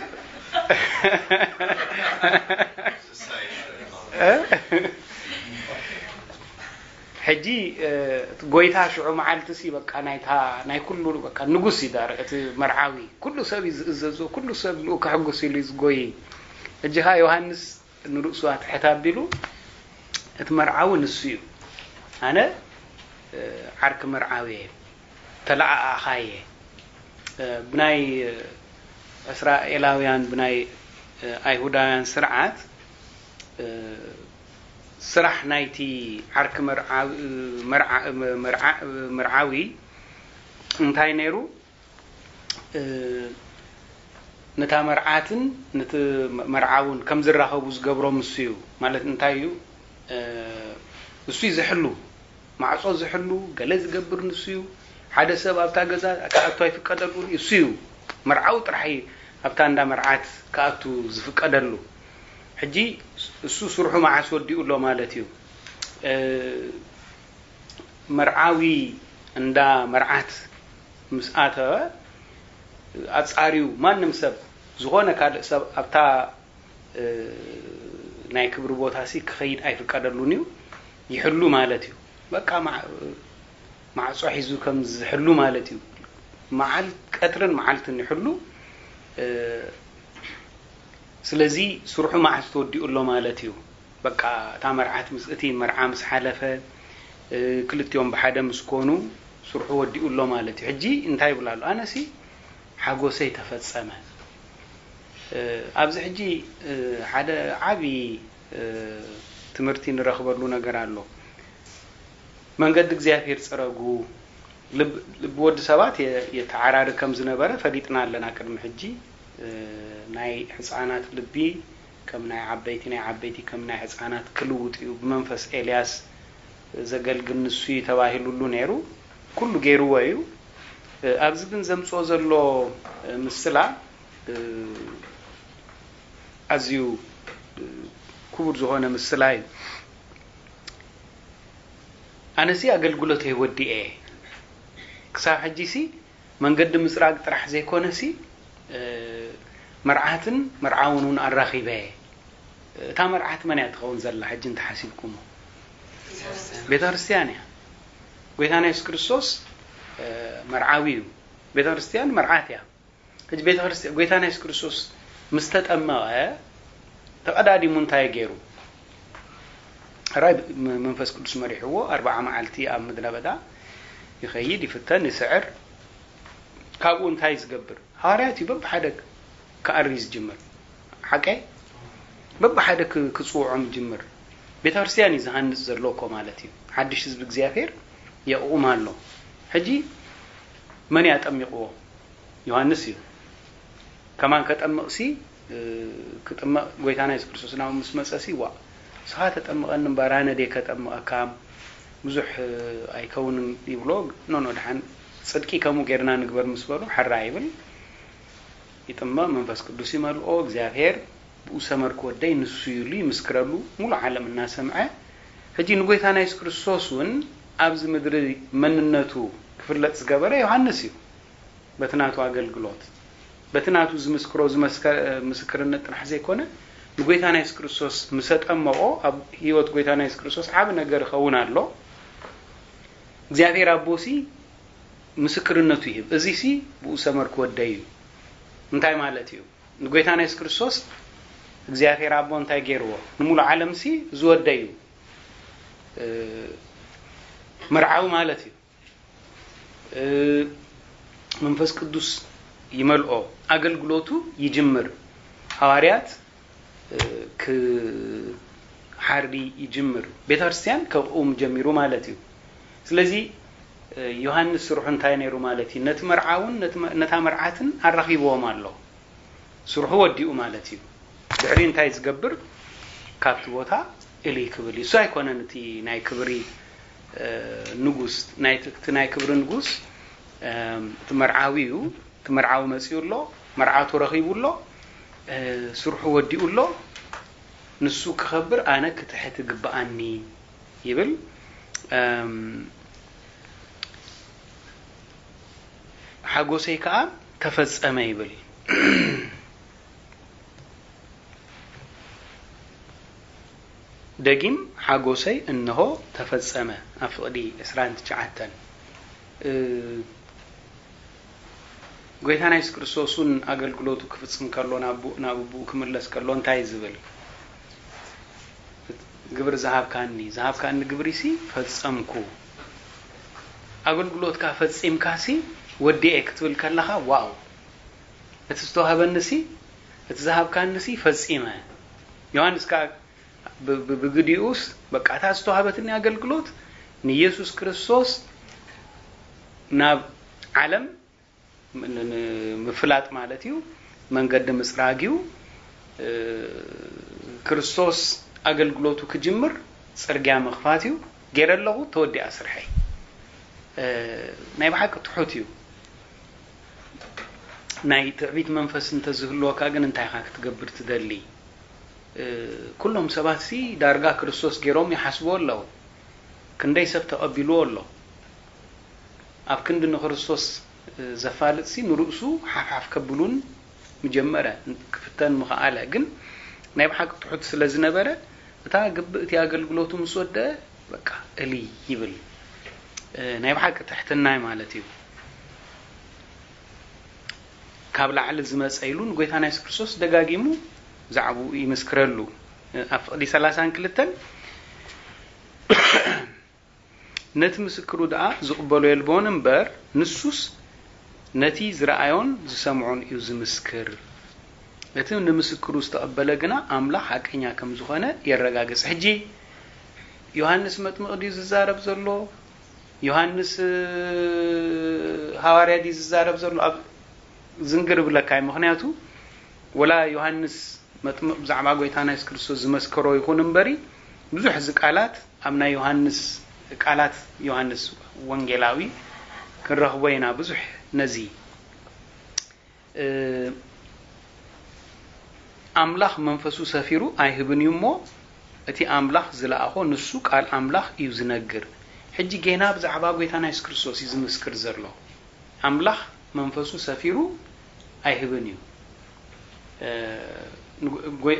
እ? ሕጂ፣ እ፣ እቲ ጎይታ ሽዑ መዓልቲ ሲ በቃ ናይታ፣ ናይ ኩሉ በቃ ንጉስ እዩ ዳር፣ እቲ መርዓዊ። ኩሉ ሰብ እዩ ዝእዘዞ፣ ኩሉ ሰብ ንኡ ከሕጉስ ኢሉ እዩ ዝጎይ። ሕጂ ኸኣ ዮሃንስ ንርእሱ ኣትሕት ኣቢሉ፣ እቲ መርዓዊ ንሱ እዩ። ኣነ፣ እ፣ ዓርኪ መርዓዊ እየ፣ ተለኣኣኻይ እየ። እ፣ ብናይ፣ እ፣ እስራኤላውያን፣ ብናይ፣ እ፣ ኣይሁዳውያን ስርዓት፣ እ፣ ስራሕ ናይቲ ዓርኪ መርዓ-፣ መርዓ-፣ መርዓ-፣ መርዓዊ እንታይ ነይሩ? እ፣ ነታ መርዓትን ነቲ መርዓውን ከም ዝራኸቡ ዝገብሮም እሱ እዩ። ማለት እንታይ እዩ? እ፣ እሱ እዩ ዝሕሉ፣ ማዕጾ ዝሕሉ፣ ገለ ዝገብር ንሱ እዩ። ሓደ ሰብ ኣብታ ገዛ ክኣቱ ኣይፍቀደሉን እዩ። እሱ እዩ መርዓዊ ጥራሕ እዩ ኣብታ እንዳ መርዓት ክኣቱ ዝፍቀደሉ። ሕጂ እሱ ስርሑ መዓስ ወዲኡ ኣሎ ማለት እዩ? እ፣ መርዓዊ እንዳ መርዓት ምስ ኣተወ፣ ኣጻርዩ ማንም ሰብ፣ ዝኾነ ካልእ ሰብ ኣብታ፣ እ፣ ናይ ክብሪ ቦታ ሲ ክኸይድ ኣይፍቀደሉን እዩ። ይሕሉ ማለት እዩ። በቃ፣ ማ-፣ ማዕጾ ሒዙ ከም ዝሕሉ ማለት እዩ። መዓል-፣ ቀትርን መዓልትን ይሕሉ። እ፣ ስለዚ ስርሑ መዓስ ተወዲኡ ኣሎ ማለት እዩ። በቃ፣ እታ መርዓት ምስ፣ እቲ መርዓ ምስ ሓለፈ፣ እ፣ ክልቲኦም ብሓደ ምስ ኮኑ፣ ስርሑ ወዲኡ ኣሎ ማለት እዩ። ሕጂ እንታይ ይብል ኣሎ? ኣነሲ ሓጎሰይ ተፈጸመ። እ፣ ኣብዚ ሕጂ፣ እ፣ ሓደ ዓቢ፣ እ፣ ትምህርቲ ንረኽበሉ ነገር ኣሎ። መንገዲ እግዚኣብሔር ጽረጉ። ልብ-፣ ልቢ ወዲ ሰባት የ-፣ የተዓራሪ ከም ዝነበረ ፈሊጥና ኣለና ቅድሚ ሕጂ። እ፣ ናይ ሕፃናት ልቢ ከም ናይ ዓበይቲ፣ ናይ ዓበይቲ ከም ናይ ሕፃናት ክልውጥ እዩ። ብመንፈስ ኤልያስ ዘገልግል ንሱ እዩ ተባሂሉሉ ነይሩ። ኩሉ ገይርዎ እዩ። እ፣ ኣብዚ ግን ዘምጽኦ ዘሎ፣ እ፣ ምስላ፣ እ፣ ኣዝዩ፣ እ፣ ክቡር ዝኾነ ምስላ እዩ። ኣነሲ ኣገልግሎተይ ወዲኤ፣ ክሳብ ሕጂሲ መንገዲ ምጽራግ ጥራሕ ዘይኮነሲ፣ እ፣ መርዓትን መርዓውን እውን ኣራኺበ። እታ መርዓት መን እያ ትኸውን ዘላ? ሕጂ እንተሓሲብኩሞ፣ ቤተ ክርስቲያን እያ። ጎይታና የሱስ ክርስቶስ፣ እ፣ መርዓዊ እዩ። ቤተ ክርስቲያን መርዓት እያ። ሕጂ ቤተ ክርስቲያን፣ ጎይታና የሱስ ክርስቶስ ምስ ተጠመቐ፣ ተቐዳዲሙ እንታይ ገይሩ? ሕራይ ም-፣ መንፈስ ቅዱስ መሪሕዎ፣ ኣርብዓ መዓልቲ ኣብ ምድረ በዳ ይኸይድ፣ ይፍተን፣ ይስዕር። ካብኡ እንታይ ዝገብር? ሃዋርያት እዩ በብሓደ ክኣሪ ዝጅምር። ሓቀይ? በብሓደ ክ-፣ ክጽውዖም ይጅምር። ቤተ ክርስቲያን እዩ ዝሃንጽ ዘሎ እኮ ማለት እዩ። ሓድሽ ህዝቢ እግዚኣብሔር የቕውም ኣሎ። ሕጂ መን እዩ ኣጠሚቕዎ? ዮሃንስ እዩ። ከማን ከጠምቕሲ፣ እ፣ ክጥመቕ ጎይታና የሱስ ክርስቶስ ናብኡ ምስ መጸሲ፣ "ዋእ፣ ንስኻ ተጠምቐኒ እምበር ኣነ ድየ ከጠምቐካ? ብዙሕ፣ እ፣ ኣይከውንን" ይብሎ። "ኖ፣ ኖ፣ ደሓን ጽድቂ ከምኡ ጌርና ንግበር" ምስ በሉ፣ "ሕራይ" ይብል። ይጥመቕ፣ መንፈስ ቅዱስ ይመልኦ፣ እግዚኣብሔር ብኡ ሰመር ክወደይ ንሱ እዩ ኢሉ ይምስክረሉ፣ ሙሉእ ዓለም እናሰምዐ። ሕጂ ንጎይታና የሱስ ክርስቶስ እውን ኣብዚ ምድሪ መንነቱ ክፍለጥ ዝገበረ ዮሃንስ እዩ። በቲ ናቱ ኣገልግሎት፣ በቲ ናቱ ዝምስክሮ፣ ዝመስከ-፣ ምስክርነት ጥራሕ ዘይኮነ፣ ንጎይታና የሱስ ክርስቶስ ምስ ኣጠመቖ፣ ኣብ ህይወት ጎይታና የሱስ ክርስቶስ ዓቢ ነገር ይኸውን ኣሎ። እግዚኣብሔር ኣቦሲ ምስክርነቱ ይህብ። እዚሲ ብኡ ሰመር ክወደይ እዩ። እንታይ ማለት እዩ? ንጎይታና የሱስ ክርስቶስ እግዚኣብሔር ኣቦ እንታይ ገይርዎ? ንሙሉ ዓለምሲ ዝወደዩ መርዓዊ ማለት እዩ። መንፈስ ቅዱስ ይመልኦ፣ ኣገልግሎቱ ይጅምር። ሃዋርያት ክሓሪ ይጅምር። ቤተ ክርስቲያን ከብኡ ጀሚሩ ማለት እዩ። ስለዚ ዮሃንስ ስርሑ እንታይ ነይሩ ማለት እዩ? ነቲ መርዓውን ነታ መርዓትን ኣራኺብዎም ኣሎ። ስርሑ ወዲኡ ማለት እዩ። ድሕሪ እንታይ ዝገብር? ካብቲ ቦታ እልይ ክብል እዩ። እሱ ኣይኮነን እቲ ናይ ክብሪ ንጉስ፣ እቲ ናይ ክብሪ ንጉስ እቲ መርዓዊ እዩ። እቲ መርዓዊ መጺኡ ኣሎ፣ መርዓቱ ረኺቡ ኣሎ፣ ስርሑ ወዲኡ ኣሎ። ንሱ ክኸብር ኣነ ክትሕት ይግብኣኒ ይብል። ሓጎሰይ ከኣ ተፈጸመ ይብል። ደጊም ሓጎሰይ እንሆ ተፈጸመ። ኣብ ፍቕዲ ዕስራን ትሽዓተን ጎይታና የሱስ ክርስቶስ እውን ኣገልግሎቱ ክፍጽም ከሎ ናብ ኣቦኡ ክምለስ ከሎ እንታይ እዩ ዝብል? ግብሪ ዝሃብካኒ ዝሃብካኒ ግብሪሲ ፈጸምኩ። ኣገልግሎትካ ፈጺምካሲ ወዲኤ ክትብል ከለኻ ዋው፣ እቲ ዝተዋህበኒሲ እቲ ዝሃብካኒሲ ፈጺመ። ዮሃንስ ከኣ ብግዲኡስ በቃ እታ ዝተዋህበትኒ ኣገልግሎት ንየሱስ ክርስቶስ ናብ ዓለም ምፍላጥ ማለት እዩ። መንገዲ ምፅራግ እዩ። ክርስቶስ ኣገልግሎቱ ክጅምር ፅርግያ ምኽፋት እዩ። ገይረ ኣለኹ፣ ተወዲኣ ስርሐይ። ናይ ብሓቂ ትሑት እዩ። ናይ ትዕቢት መንፈስ እንተዝህልወካ ግን እንታይ ኢኻ ክትገብር ትደሊ? ኩሎም ሰባትሲ ዳርጋ ክርስቶስ ገይሮም ይሓስብዎ ኣለዉ። ክንደይ ሰብ ተቐቢልዎ ኣሎ። ኣብ ክንዲ ንክርስቶስ ዘፋልጥሲ ንርእሱ ሓፍሓፍ ከብሉን ምጀመረ፣ ክፍተን ምኸኣለ። ግን ናይ ብሓቂ ትሑት ስለ ዝነበረ እታ ግብእ እቲ ኣገልግሎቱ ምስ ወደአ በቃ እልይ ይብል። ናይ ብሓቂ ትሕትናይ ማለት እዩ። ካብ ላዕሊ ዝመፀ ኢሉ ንጎይታና የሱስ ክርስቶስ ደጋጊሙ ብዛዕባኡ ይምስክረሉ። ኣብ ፍቕዲ ሰላሳን ክልተን ነቲ ምስክሩ ደኣ ዝቕበሎ የልቦን እምበር፣ ንሱስ ነቲ ዝረኣዮን ዝሰምዖን እዩ ዝምስክር። እቲ ንምስክሩ ዝተቐበለ ግና ኣምላኽ ሓቀኛ ከም ዝኾነ የረጋግጽ። ሕጂ ዮሃንስ መጥምቕ ድዩ ዝዛረብ ዘሎ? ዮሃንስ ሃዋርያ ድዩ ዝዛረብ ዘሎ? ኣብ ዝንግር ብለካ እዩ። ምኽንያቱ ወላ ዮሃንስ መጥምቕ ብዛዕባ ጎይታና የሱስ ክርስቶስ ዝመስከሮ ይኹን እምበሪ፣ ብዙሕ እዚ ቃላት ኣብ ናይ ዮሃንስ፣ ቃላት ዮሃንስ ወንጌላዊ ክንረኽቦ ኢና። ብዙሕ ነዚ ኣምላኽ መንፈሱ ሰፊሩ ኣይህብን እዩ እሞ፣ እቲ ኣምላኽ ዝለኣኾ ንሱ ቃል ኣምላኽ እዩ ዝነግር። ሕጂ ጌና ብዛዕባ ጎይታና የሱስ ክርስቶስ እዩ ዝምስክር ዘሎ። ኣምላኽ መንፈሱ ሰፊሩ ኣይህብን እዩ።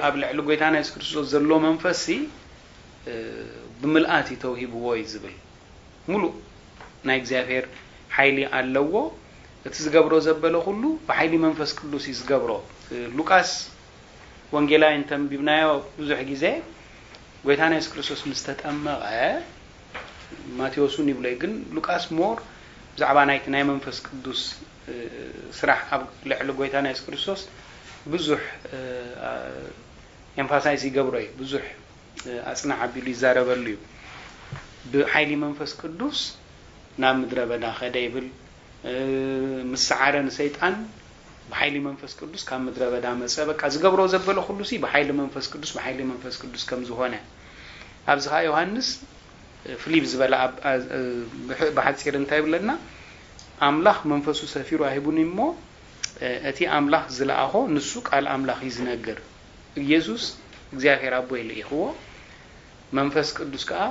ኣብ ልዕሊ ጎይታና የሱስ ክርስቶስ ዘሎ መንፈስሲ ብምልኣት እዩ ተውሂብዎ እዩ ዝብል። ሙሉእ ናይ እግዚኣብሔር ሓይሊ ኣለዎ። እቲ ዝገብሮ ዘበለ ኩሉ ብሓይሊ መንፈስ ቅዱስ እዩ ዝገብሮ። ሉቃስ ወንጌላዊ እንተንቢብናዮ ብዙሕ ግዜ ጎይታና የሱስ ክርስቶስ ምስ ተጠመቐ፣ ማቴዎስ እውን ይብሎ እዩ፣ ግን ሉቃስ ሞር ብዛዕባ ናይቲ ናይ መንፈስ ቅዱስ ስራሕ ኣብ ልዕሊ ጎይታና የሱስ ክርስቶስ ብዙሕ ኤምፋሳይዝ ይገብሮ እዩ። ብዙሕ ኣጽናዕ ኣቢሉ ይዛረበሉ እዩ። ብሓይሊ መንፈስ ቅዱስ ናብ ምድረ በዳ ከደ ይብል። ምስ ሰዓረ ንሰይጣን ብሓይሊ መንፈስ ቅዱስ ካብ ምድረ በዳ መጸ። በቃ ዝገብሮ ዘበለ ኩሉ ሲ ብሓይሊ መንፈስ ቅዱስ፣ ብሓይሊ መንፈስ ቅዱስ ከም ዝኾነ። ኣብዚ ኸዓ ዮሃንስ ፍሊብ ዝበለ ብሓፂር እንታይ ይብለና? ኣምላኽ መንፈሱ ሰፊሩ ኣይህቡን እሞ እቲ ኣምላኽ ዝለኣኾ ንሱ ቃል ኣምላኽ እዩ ዝነግር። ኢየሱስ እግዚኣብሔር ኣቦይ ልኢኽዎ፣ መንፈስ ቅዱስ ከዓ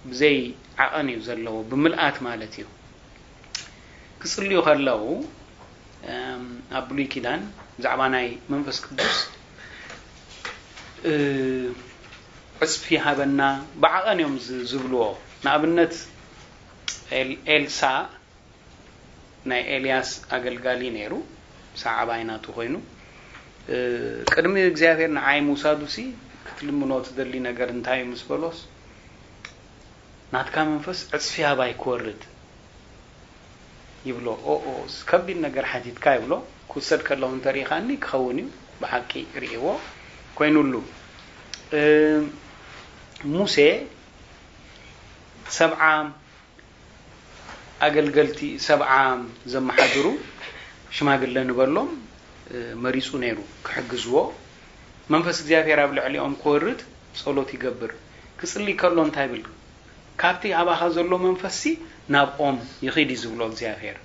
ብዘይ ዓቐን እዩ ዘለዎ፣ ብምልኣት ማለት እዩ። ክጽልዩ ከለዉ ኣብ ብሉይ ኪዳን ብዛዕባ ናይ መንፈስ ቅዱስ ዕፅፊ ሃበና ብዓቐን እዮም ዝብልዎ። ንኣብነት ኤልሳ ናይ ኤልያስ ኣገልጋሊ ነይሩ፣ ሰዓባይ ናቱ ኮይኑ ቅድሚ እግዚኣብሔር ንዓይ ምውሳዱሲ ክትልምኖ ትደሊ ነገር እንታይ እዩ ምስ በሎስ፣ ናትካ መንፈስ ዕጽፊ ኣባይ ክወርድ ይብሎ። ኦኦ፣ ከቢድ ነገር ሓቲትካ ይብሎ። ክውሰድ ከለኹ እንተሪኢኻኒ ክኸውን እዩ፣ ብሓቂ ርእይዎ ኮይኑሉ። ሙሴ ሰብዓ ኣገልገልቲ፣ ሰብዓ ዘመሓድሩ ሽማግለ ንበሎም መሪፁ ነይሩ ክሕግዝዎ። መንፈስ እግዚኣብሔር ኣብ ልዕሊኦም ክወርድ ጸሎት ይገብር። ክጽሊ ከሎ እንታይ ይብል? ካብቲ ኣባኻ ዘሎ መንፈስሲ ናብኦም ይኺድ እዩ ዝብሎ እግዚኣብሔር።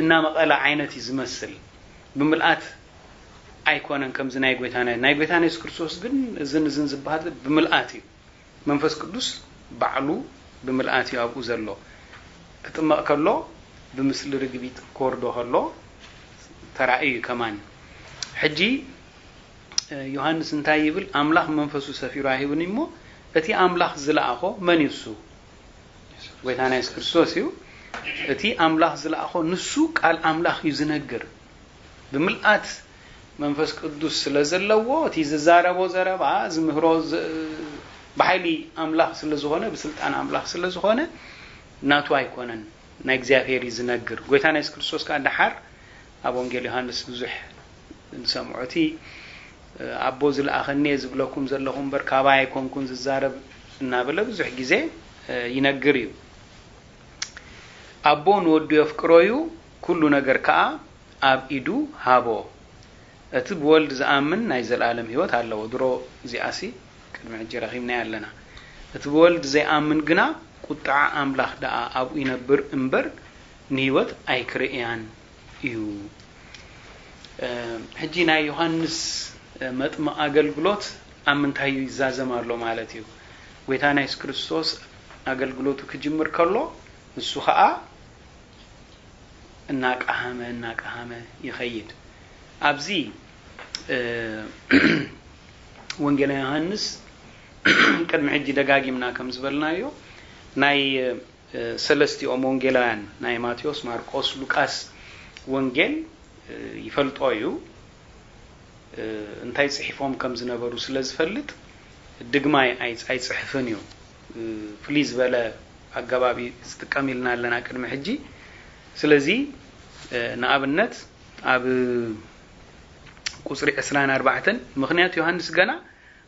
እናመቐለ ዓይነት እዩ ዝመስል። ብምልኣት ኣይኮነን ከምዚ ናይ ጎይታና። ናይ ጎይታና የሱስ ክርስቶስ ግን እዝን እዝን ዝበሃል ብምልኣት እዩ። መንፈስ ቅዱስ ባዕሉ ብምልኣት እዩ ኣብኡ ዘሎ። ክጥመቕ ከሎ ብምስሊ ርግቢት ክወርዶ ከሎ ተራእዩ እዩ ከማን። ሕጂ ዮሃንስ እንታይ ይብል? ኣምላኽ መንፈሱ ሰፊሩ ኣሂቡኒ እሞ እቲ ኣምላኽ ዝለኣኾ መን እዩ? እሱ ጎይታና የሱስ ክርስቶስ እዩ። እቲ ኣምላኽ ዝለኣኾ ንሱ ቃል ኣምላኽ እዩ ዝነግር። ብምልኣት መንፈስ ቅዱስ ስለ ዘለዎ እቲ ዝዛረቦ ዘረባ ዝምህሮ ብሓይሊ ኣምላኽ ስለ ዝኾነ፣ ብስልጣን ኣምላኽ ስለ ዝኾነ ናቱ ኣይኮነን፣ ናይ እግዚኣብሔር እዩ ዝነግር። ጎይታና የሱስ ክርስቶስ ከዓ ደሓር ኣብ ወንጌል ዮሃንስ ብዙሕ ንሰምዖ። እቲ ኣቦ ዝለኣኸኒ እየ ዝብለኩም ዘለኹ እምበር ካባይ ኣይኮንኩን ዝዛረብ እናበለ ብዙሕ ግዜ ይነግር እዩ። ኣቦ ንወዱ የፍቅሮ እዩ፣ ኩሉ ነገር ከዓ ኣብ ኢዱ ሃቦ። እቲ ብወልድ ዝኣምን ናይ ዘለኣለም ህይወት ኣለዎ። ድሮ እዚኣሲ ቅድሚ ሕጂ ረኺብናያ ኣለና። እቲ ብወልድ ዘይኣምን ግና ቁጥዓ ኣምላኽ ደኣ ኣብኡ ይነብር እምበር ንህይወት ኣይክርእያን እዩ። ሕጂ ናይ ዮሃንስ መጥምቕ ኣገልግሎት ኣብ ምንታይ እዩ ይዛዘም ኣሎ ማለት እዩ? ጎይታ ናይ የሱስ ክርስቶስ ኣገልግሎቱ ክጅምር ከሎ ንሱ ኸዓ እናቀሃመ እናቀሃመ ይኸይድ። ኣብዚ ወንጌላ ዮሃንስ ቅድሚ ሕጂ ደጋጊምና ከም ዝበልናዮ ናይ ሰለስቲኦም ወንጌላውያን ናይ ማቴዎስ፣ ማርቆስ፣ ሉቃስ ወንጌል ይፈልጦ እዩ። እንታይ ጽሒፎም ከም ዝነበሩ ስለ ዝፈልጥ ድግማይ ኣይጽሕፍን እዩ። ፍልይ ዝበለ ኣገባብ ዝጥቀም ኢልና ኣለና ቅድሚ ሕጂ። ስለዚ ንኣብነት ኣብ ቁፅሪ ዕስራን ኣርባዕተን ምኽንያት ዮሃንስ ገና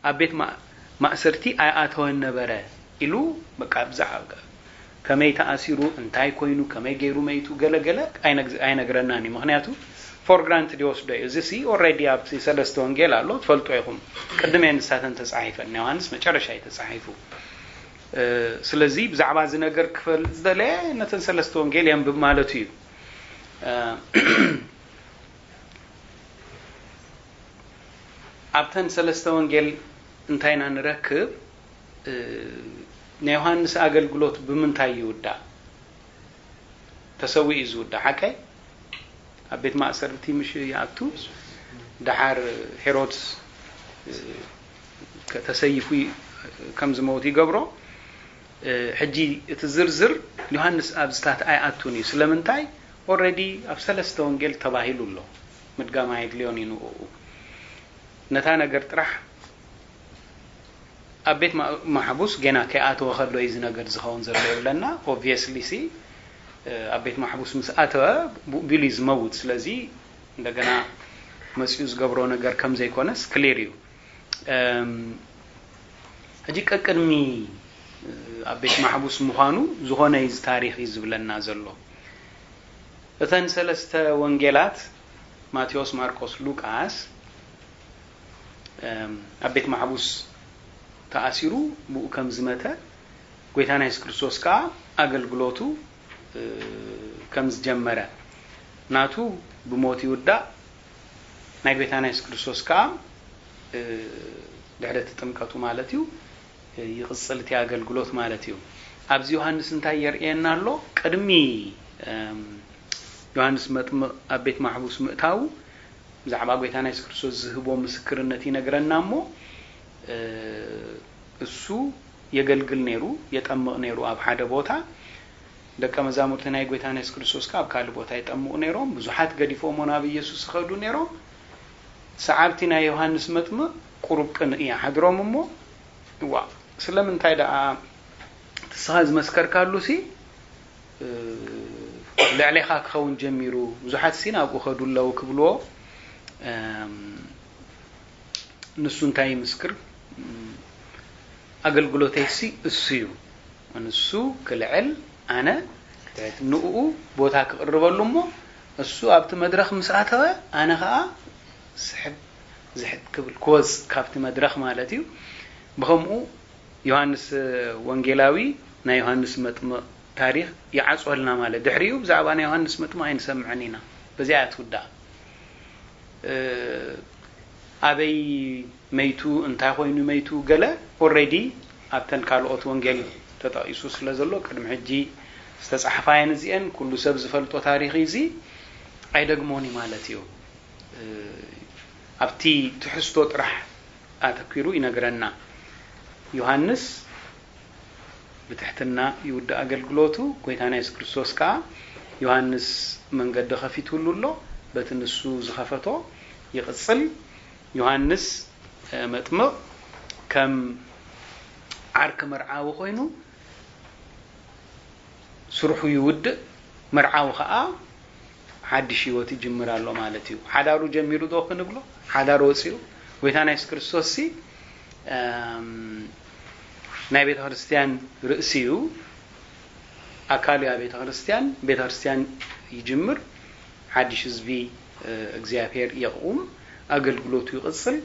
ኣብ ቤት ማእሰርቲ ኣይኣተወን ነበረ ኢሉ በቃ ብዛዕባ ከመይ ተኣሲሩ፣ እንታይ ኮይኑ፣ ከመይ ገይሩ መይቱ፣ ገለ ገለ ኣይነግረናን እዩ። ምኽንያቱ for granted ይወስዶ እዩ። እዚ ሲ already ኣብቲ ሰለስተ ወንጌል ኣሎ፣ ትፈልጦ ኢኹም። ቅድም እየን ንሳተን ተፃሒፈን፣ ዮሃንስ መጨረሻ እዩ ተፃሒፉ። ስለዚ ብዛዕባ እዚ ነገር ክፈልጥ ዝደለየ ነተን ሰለስተ ወንጌል የንብብ ማለቱ እዩ። ኣብተን ሰለስተ ወንጌል እንታይ ኢና ንረክብ? ናይ ዮሃንስ ኣገልግሎት ብምንታይ ይውዳእ? ተሰዊኡ እዩ ዝውዳእ፣ ሓቀይ? ኣብ ቤት ማእሰርቲ ምሽ ይኣቱ፣ ደሓር ሄሮድስ ተሰይፉ ከም ዝመውት ይገብሮ። ሕጂ እቲ ዝርዝር ዮሃንስ ኣብዚታት ኣይኣቱን እዩ። ስለምንታይ? Already ኣብ ሰለስተ ወንጌል ተባሂሉ ኣሎ። ምድጋም ኣየድልዮን እዩ ንኡ። ነታ ነገር ጥራሕ ኣብ ቤት ማሕቡስ ገና ከይኣተወ ከሎ እዩ እዚ ነገር ዝኸውን ዘሎ ይብለና። Obviously ሲ ኣብ ቤት ማሕቡስ ምስ ኣተወ ብኡ ቢሉ እዩ ዝመውት። ስለዚ እንደገና መፅኡ ዝገብሮ ነገር ከም ዘይኮነስ ክሊር እዩ። ሕጂ ቀቅድሚ ኣብ ቤት ማሕቡስ ምዃኑ ዝኾነ እዩ ታሪኽ እዩ ዝብለና ዘሎ። እተን ሰለስተ ወንጌላት ማቴዎስ፣ ማርቆስ፣ ሉቃስ ኣብ ቤት ማሕቡስ ተኣሲሩ ብኡ ከም ዝመተ፣ ጎይታና የሱስ ክርስቶስ ከዓ ኣገልግሎቱ ከም ዝጀመረ፣ ናቱ ብሞት ይውዳእ፣ ናይ ጎይታና የሱስ ክርስቶስ ከዓ ድሕሪ እቲ ጥምቀቱ ማለት እዩ ይቕፅል እቲ ኣገልግሎት ማለት እዩ። ኣብዚ ዮሃንስ እንታይ የርእየና ኣሎ? ቅድሚ ዮሃንስ መጥምቕ ኣብ ቤት ማሕቡስ ምእታዉ ብዛዕባ ጎይታና የሱስ ክርስቶስ ዝህቦ ምስክርነት ይነግረና እሞ እሱ የገልግል ነይሩ፣ የጠምቕ ነይሩ ኣብ ሓደ ቦታ። ደቀ መዛሙርቲ ናይ ጎይታና የሱስ ክርስቶስ ከኣ ኣብ ካልእ ቦታ የጠምቑ ነይሮም። ብዙሓት ገዲፎሞ ናብ ኢየሱስ ይኸዱ ነይሮም። ሰዓብቲ ናይ ዮሃንስ መጥምቕ ቁሩብ ቅንኢ ሓድሮም እሞ፣ ዋ፣ ስለምንታይ ደኣ ንስኻ ዝመስከርካሉሲ፣ እ፣ ልዕሌኻ ክኸውን ጀሚሩ፣ ብዙሓትሲ ናብኡ ከዱ ኣለዉ ክብልዎ፣ እም፣ ንሱ እንታይ ይምስክር? እም፣ ኣገልግሎተይሲ እሱ እዩ። ንሱ ክልዕል፣ ኣነ ክትሕት። ንኡ ቦታ ክቕርበሉ እሞ፣ እሱ ኣብቲ መድረኽ ምስ ኣተወ፣ ኣነ ኸኣ ስሕብ ዝሕት ክብል፣ ክወጽእ ካብቲ መድረኽ ማለት እዩ። ብኸምኡ ዮሃንስ ወንጌላዊ ናይ ዮሃንስ መጥምቕ ታሪኽ ይዓጽወልና ማለት። ድሕሪኡ ብዛዕባ ናይ ዮሃንስ መጥምቕ ኣይንሰምዕን ኢና። በዚኣ እያ ትውዳእ። እ፣ ኣበይ መይቱ፣ እንታይ ኮይኑ መይቱ፣ ገለ ኦልሬዲ ኣብተን ካልኦት ወንጌል ተጠቒሱ ስለ ዘሎ፣ ቅድሚ ሕጂ ዝተጻሕፋ እየን እዚአን። ኩሉ ሰብ ዝፈልጦ ታሪኽ እዩ እዚ፣ ኣይደግሞን እዩ ማለት እዩ። እ፣ ኣብቲ ትሕዝቶ ጥራሕ ኣተኲሩ ይነግረና። ዮሃንስ ብትሕትና ይውድእ ኣገልግሎቱ። ጎይታና የሱስ ክርስቶስ ከኣ ዮሃንስ መንገዲ ኸፊትሉ ኣሎ። በቲ ንሱ ዝኸፈቶ ይቕጽል። ዮሃንስ፣ እ፣ መጥምቕ ከም ዓርኪ መርዓዊ ኮይኑ ስርሑ ይውድእ፣ መርዓዊ ኸኣ ሓድሽ ህይወት ይጅምር ኣሎ ማለት እዩ። ሓዳሩ ጀሚሩ ዶ ክንብሎ? ሓዳር ወጺኡ። ጎይታና የሱስ ክርስቶስሲ፣ እም፣ ናይ ቤተ ክርስቲያን ርእሲ እዩ፣ ኣካል እያ ቤተ ክርስቲያን። ቤተ ክርስቲያን ይጅምር፣ ሓድሽ ህዝቢ፣ እ፣ እግዚኣብሔር የቕውም፣ ኣገልግሎቱ ይቕጽል።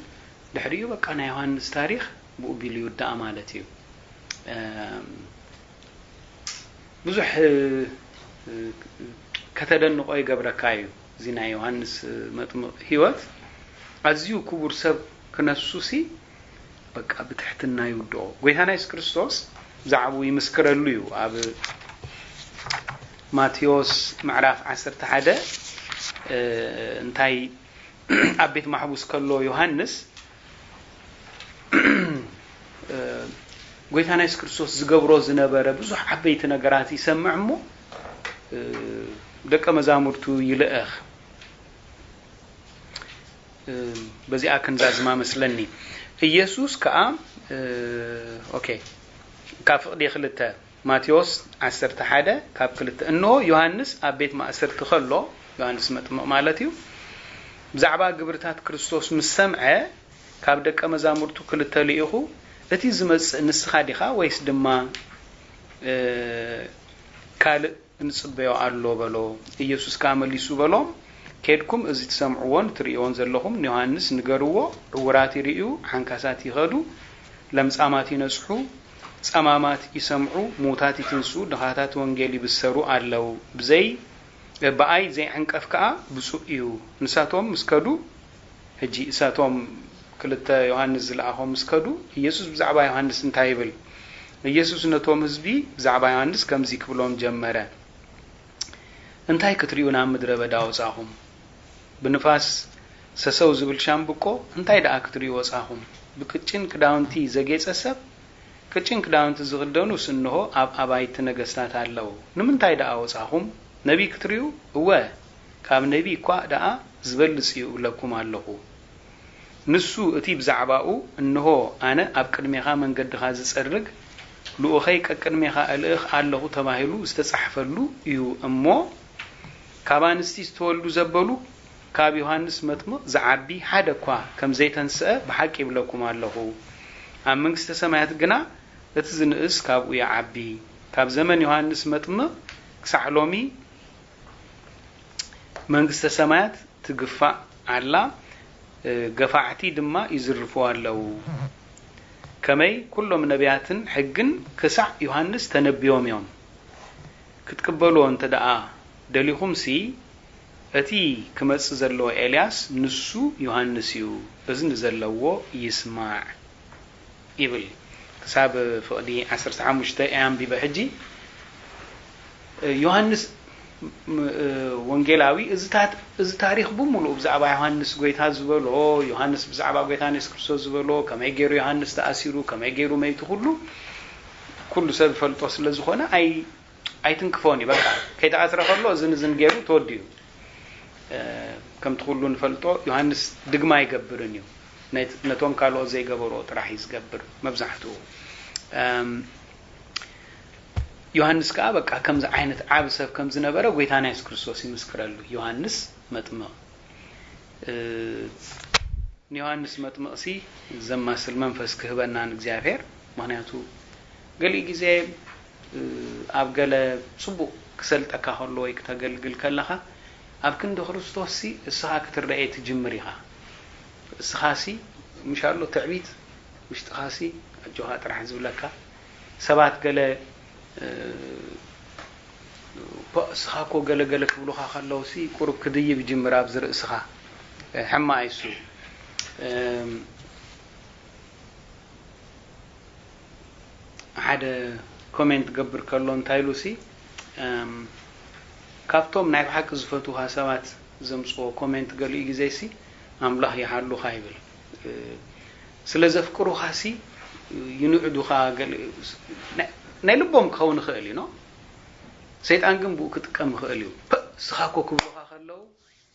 ድሕሪኡ በቃ ናይ ዮሃንስ ታሪኽ ብኡ ቢሉ ይውዳእ ማለት እዩ። እም፣ ብዙሕ፣ እ፣ ከተደንቆ ይገብረካ እዩ። እዚ ናይ ዮሃንስ መጥምቕ ህይወት ኣዝዩ ክቡር ሰብ ክነሱሲ በቃ ብትሕትና ይውድኦ። ጎይታና የሱስ ክርስቶስ ብዛዕባኡ ይምስክረሉ እዩ። ኣብ ማቴዎስ ምዕራፍ ዓሰርተ ሓደ፣ እ፣ እንታይ ኣብ ቤት ማሕቡስ ከሎ ዮሃንስ፣ እ፣ ጎይታና የሱስ ክርስቶስ ዝገብሮ ዝነበረ ብዙሕ ዓበይቲ ነገራት ይሰምዕ እሞ፣ እ፣ ደቀ መዛሙርቱ ይልእኽ። እ፣ በዚኣ ክንዛዝማ መስለኒ። ኢየሱስ ከኣ፣ እ፣ ኦኬ፣ ካብ ፍቕዲ ክልተ፣ ማቴዎስ ዓሰርተ ሓደ ካብ ክልተ፣ እንሆ ዮሃንስ ኣብ ቤት ማእሰርቲ ከሎ፣ ዮሃንስ መጥምቕ ማለት እዩ፣ ብዛዕባ ግብርታት ክርስቶስ ምስ ሰምዐ፣ ካብ ደቀ መዛሙርቱ ክልተ ልኢኹ፣ እቲ ዝመጽእ ንስኻ ዲኻ ወይስ ድማ፣ እ፣ ካልእ እንጽበዮ ኣሎ በሎ። ኢየሱስ ከኣ መሊሱ በሎም፣ ኬድኩም እዚ ትሰምዕዎን ትርእይዎን ዘለኹም ንዮሃንስ ንገርዎ፣ ዕውራት ይርእዩ፣ ዓንካሳት ይኸዱ፣ ለምጻማት ይነጽሑ፣ ጸማማት ይሰምዑ፣ ምዉታት ይትንስኡ፣ ድኻታት ወንጌል ይብሰሩ ኣለዉ። ብዘይ፣ ብኣይ ዘይዕንቀፍ ከኣ ብጹእ እዩ። ንሳቶም ምስ ከዱ፣ ሕጂ እሳቶም ክልተ ዮሃንስ ዝለኣኾም ምስ ከዱ፣ ኢየሱስ ብዛዕባ ዮሃንስ እንታይ ይብል? ኢየሱስ ነቶም ህዝቢ ብዛዕባ ዮሃንስ ከምዚ ክብሎም ጀመረ፣ እንታይ ክትርእዩ ናብ ምድረ በዳ ወጻኹም? ብንፋስ ሰሰው ዝብል ሻምብቆ እንታይ ደኣ ክትርእዩ ወጻኹም? ብቅጭን ክዳውንቲ ዘጌጸ ሰብ? ቅጭን ክዳውንቲ ዝኽደኑስ እንሆ ኣብ ኣባይቲ ነገስታት ኣለዉ። ንምንታይ ደኣ ወጻኹም? ነቢይ ክትርእዩ? እወ፣ ካብ ነቢይ እኳ ደኣ ዝበልጽ እዩ እብለኩም ኣለኹ። ንሱ እቲ ብዛዕባኡ፣ እንሆ ኣነ ኣብ ቅድሜኻ መንገድኻ ዝጸርግ፣ ልኡኸይ ቀቅድሜኻ እልእኽ ኣለኹ ተባሂሉ ዝተጻሕፈሉ እዩ እሞ፣ ካብ ኣንስቲ ዝተወልዱ ዘበሉ ካብ ዮሃንስ መጥምቕ ዝዓቢ ሓደ እኳ ከም ዘይተንስአ ብሓቂ ይብለኩም ኣለኹ። ኣብ መንግስተ ሰማያት ግና እቲ ዝንእስ ካብኡ ይዓቢ። ካብ ዘመን ዮሃንስ መጥምቕ ክሳዕ ሎሚ መንግስተ ሰማያት ትግፋእ ኣላ፣ እ፣ ገፋዕቲ ድማ ይዝርፉ ኣለዉ። ከመይ ኩሎም ነቢያትን ሕግን ክሳዕ ዮሃንስ ተነቢዮም እዮም። ክትቅበልዎ እንተ ደኣ ደሊኹምሲ፣ እቲ ክመጽእ ዘለዎ ኤልያስ ንሱ ዮሃንስ እዩ። እዝኒ ዘለዎ ይስማዕ። ይብል። ክሳብ ፍቕዲ ዓሰርተ ሓሙሽተ እየ ኣንቢበ። ሕጂ ዮሃንስ፣ ም-፣ ወንጌላዊ እዚ ታ-፣ እዚ ታሪኽ ብምሉእ ብዛዕባ ዮሃንስ ጎይታ ዝበሎ፣ ዮሃንስ ብዛዕባ ጎይታ የሱስ ክርስቶስ ዝበሎ፣ ከመይ ገይሩ ዮሃንስ ተኣሲሩ፣ ከመይ ገይሩ መይቱ፣ ኩሉ፣ ኩሉ ሰብ ይፈልጦ ስለ ዝኾነ ኣይ-፣ ኣይትንክፎን እዩ። በቃ ከይተኣስረ ከሎ እዝን እዝን ገይሩ ተወዲኡ። እ፣ ከምቲ ኩሉ ንፈልጦ ዮሃንስ ድግማ ኣይገብርን እዩ። ነት-፣ ነቶም ካልኦት ዘይገበርዎ ጥራሕ እዩ ዝገብር መብዛሕትኡ። እም፣ ዮሃንስ ከኣ በቃ ከምዚ ዓይነት ዓቢ ሰብ ከም ዝነበረ ጎይታና የሱስ ክርስቶስ ይምስክረሉ። ዮሃንስ መጥምቕ፣ እ፣ ንዮሃንስ መጥምቕሲ ዘማስል መንፈስ ክህበና ንእግዚኣብሔር። ምኽንያቱ ገሊኡ ግዜ፣ እ፣ ኣብ ገለ ጽቡቕ ክሰልጠካ ከሎ ወይ ክተገልግል ከለኻ፣ ኣብ ክንዲ ክርስቶስሲ እስኻ ክትረኤ ትጅምር ኢኻ። እስኻሲ ምሽ ኣሎ ትዕቢት ውሽጥኻሲ ኣጆኻ ጥራሕ ዝብለካ፣ ሰባት ገለ፣ እ፣ ፖ-፣ እስኻ እኮ ገለ ገለ ክብሉኻ ከለውሲ ቁሩብ ክድይብ ይጅምር ኣብዚ ርእስኻ። እ፣ ሕማቕ እዩ እሱ። እም፣ ሓደ ኮሜንት ገብር ከሎ እንታይ ኢሉሲ፣ እም፣ ካብቶም ናይ ብሓቂ ዝፈትውኻ ሰባት ዘምጽዎ ኮሜንት ገሊኡ ግዜሲ ኣምላኽ ይሓሉኻ ይብል። እ፣ ስለ ዘፍቅሩኻሲ ይንዕዱኻ፣ ገለ ናይ፣ ናይ ልቦም ክኸውን ይኽእል እዩ፣ ኖ? ሰይጣን ግን ብኡ ክጥቀም ይኽእል እዩ። ፐ፣ እስኻ እኮ ክብሉኻ ከለዉ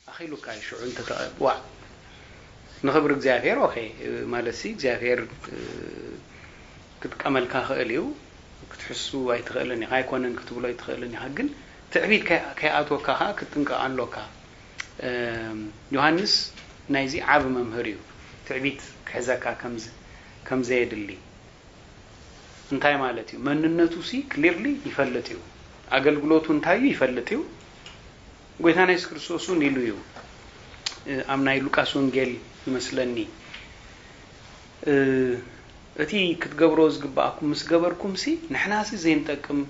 ኣኺሉካ እዩ ሽዑ እንተ ተቐ-፣ ዋዕ። ንኽብሪ እግዚኣብሔር፣ ኦኬ፣ ማለትሲ እግዚኣብሔር፣ እ፣ ክጥቀመልካ ይኽእል እዩ። ክትሕሱ ኣይትኽእልን ኢኻ፣ ኣይኮነን ክትብሎ ኣይትኽእልን ኢኻ። ግን ትዕቢት ከይ-፣ ከይኣትወካ ኸኣ ክትጥንቀቕ ኣሎካ። እም፣ ዮሃንስ ናይዚ ዓቢ መምህር እዩ። ትዕቢት ክሕዘካ ከም ዝ-፣ ከም ዘየድሊ። እንታይ ማለት እዩ? መንነቱሲ ክሊርሊ ይፈልጥ እዩ። ኣገልግሎቱ እንታይ እዩ ይፈልጥ እዩ። ጎይታና የሱስ ክርስቶስ እውን ኢሉ እዩ። እ፣ ኣብ ናይ ሉቃስ ወንጌል ይመስለኒ፣ እ፣ እቲ ክትገብሮ ዝግብኣኩም ምስ ገበርኩምሲ ንሕናሲ ዘይንጠቅም፣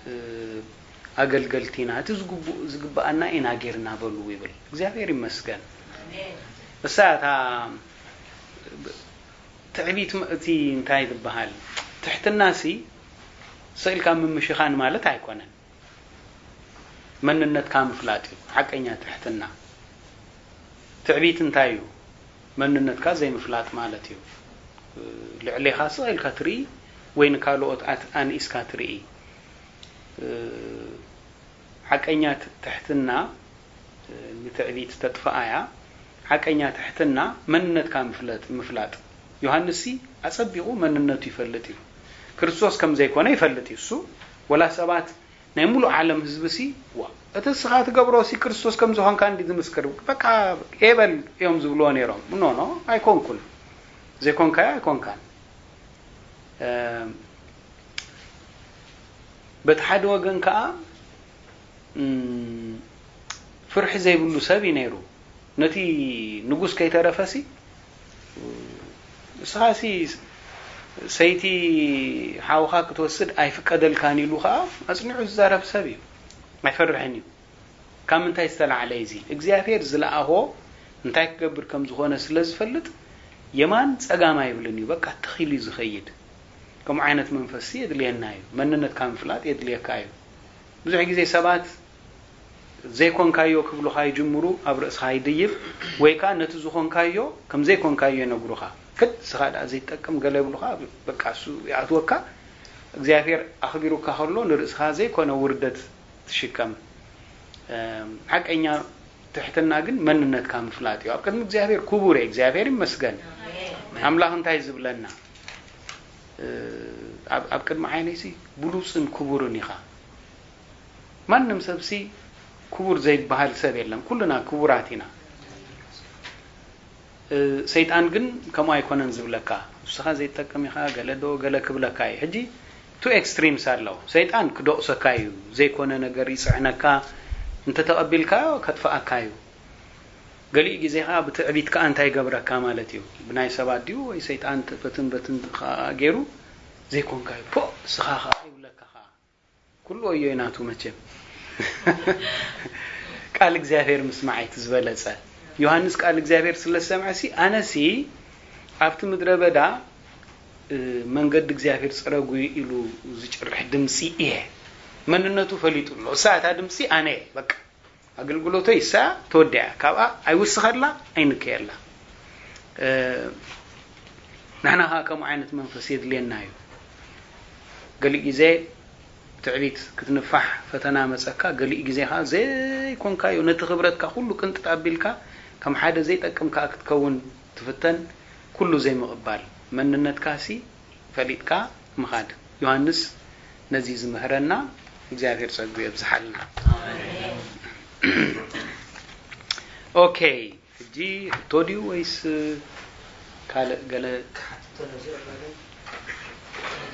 እ፣ ኣገልገልቲ ኢና። እቲ ዝግቡ-፣ ዝግብኣና ኢና ጌርና በሉ ይብል። እግዚኣብሔር ይመስገን። ኣሜን። እሳ እታ ትዕቢት ም-፣ እቲ እንታይ ዝበሃል ትሕትናሲ ስቕ ኢልካ ምምሽኻን ማለት ኣይኮነን። መንነትካ ምፍላጥ እዩ ሓቀኛ ትሕትና። ትዕቢት እንታይ እዩ? መንነትካ ዘይምፍላጥ ማለት እዩ። ልዕሌኻ ስቕ ኢልካ ትርኢ ወይ ንካልኦት ኣት-፣ ኣንኢስካ ትርኢ። ሓቀኛ ት-፣ ትሕትና ንትዕቢት ተጥፍኣ እያ። ሓቀኛ ትሕትና መንነትካ ምፍለጥ፣ ምፍላጥ። ዮሃንስሲ ኣጸቢቑ መንነቱ ይፈልጥ እዩ። ክርስቶስ ከም ዘይኮነ ይፈልጥ እዩ። እሱ ወላ ሰባት ናይ ሙሉእ ዓለም ህዝብሲ፣ ዋ፣ እቲ እስኻ ትገብሮሲ ክርስቶስ ከም ዝኾንካ እንዲ ዝምስክር፣ በቃ ኤበል እዮም ዝብልዎ ነይሮም። ኖ፣ ኖ፣ ኣይኮንኩን። ዘይኮንካዮ ኣይኮንካን። እ፣ በቲ ሓደ ወገን ከኣ፣ እም፣ ፍርሒ ዘይብሉ ሰብ እዩ ነይሩ። ነቲ ንጉስ ከይተረፈሲ፣ እስኻሲ ሰይቲ ሓውኻ ክትወስድ ኣይፍቀደልካን ኢሉ ኸኣ ኣጽኒዑ ዝዛረብ ሰብ እዩ። ኣይፈርሕን እዩ። ካብ ምንታይ ዝተላዕለ እዩ እዚ? እግዚኣብሔር ዝለኣኾ እንታይ ክገብር ከም ዝኾነ ስለ ዝፈልጥ የማን ጸጋም ኣይብልን እዩ። በቃ ትኽ ኢሉ እዩ ዝኸይድ። ከምኡ ዓይነት መንፈስሲ የድልየና እዩ። መንነትካ ምፍላጥ የድልየካ እዩ። ብዙሕ ግዜ ሰባት ዘይኮንካዮ ክብሉኻ ይጅምሩ፣ ኣብ ርእስኻ ይድይብ፣ ወይ ከኣ ነቲ ዝኾንካዮ ከም ዘይኮንካዮ ይነግሩኻ። ክድ እስኻ ደኣ ዘይትጠቅም ገለ ይብሉኻ፣ በቃ እሱ ይኣትወካ። እግዚኣብሔር ኣኽቢሩካ ከሎ ንርእስኻ ዘይኮነ ውርደት ትሽከም። እም፣ ሓቀኛ ትሕትና ግን መንነትካ ምፍላጥ እዩ። ኣብ ቅድሚ እግዚኣብሔር ክቡር እየ፣ እግዚኣብሔር ይመስገን። ኣምላኽ እንታይ ዝብለና? እ፣ ኣብ፣ ኣብ ቅድሚ ዓይነይሲ ብሉጽን ክቡርን ኢኻ። ማንም ሰብሲ ክቡር ዘይበሃል ሰብ የለን። ኩልና ክቡራት ኢና። እ፣ ሰይጣን ግን ከምኡ ኣይኮነን ዝብለካ። ንስኻ ዘይትጠቅም ኢኻ፣ ገለ ዶ ገለ ክብለካ እዩ። ሕጂ ቱ ኤክስትሪምስ ኣለዉ። ሰይጣን ክደቑሰካ እዩ። ዘይኮነ ነገር ይጽዕነካ። እንተተቐቢልካዮ ከጥፍኣካ እዩ። ገሊኡ ግዜ ኸኣ ብትዕቢት ከኣ እንታይ ይገብረካ ማለት እዩ። ብናይ ሰባት ድዩ ወይ ሰይጣን ት-፣ በትን በትን ከኣ ገይሩ ዘይኮንካዮ። ፖ፣ ንስኻ ኸኣ ይብለካ ኸኣ። ኩሉ ወዮ እዩ ናቱ መቸም። ቃል እግዚኣብሔር ምስማዕ እቲ ዝበለጸ። ዮሃንስ ቃል እግዚኣብሔር ስለ ዝሰምዐሲ፣ ኣነሲ ኣብቲ ምድረ በዳ፣ እ፣ መንገዲ እግዚኣብሔር ጽረጉ ኢሉ ዝጭርሕ ድምጺ እየ። መንነቱ ፈሊጡ ኣሎ። እሳ እታ ድምጺ ኣነ እየ። በቃ። ኣገልግሎተይ እሳ ተወዲኣ። ካብኣ ኣይውስኸላ፣ ኣይንከየላ። እ፣ ንሕና ኸኣ ከምኡ ዓይነት መንፈስ የድልየና እዩ። ገሊእ ግዜ ትዕቢት ክትንፋሕ ፈተና መጸካ፣ ገሊእ ግዜ ኸኣ ዘይኮንካዮ ነቲ ክብረትካ ኩሉ ቅንጥጥ ኣቢልካ ከም ሓደ ዘይጠቅም ከኣ ክትከውን ትፍተን። ኩሉ ዘይምቕባል መንነትካሲ ፈሊጥካ ምኻድ። ዮሃንስ ነዚ ዝምህረና። እግዚኣብሔር ጸጉ የብዝሓልና። ኦኬ፣ ሕጂ ሕቶ ድዩ ወይስ ካልእ ገለ?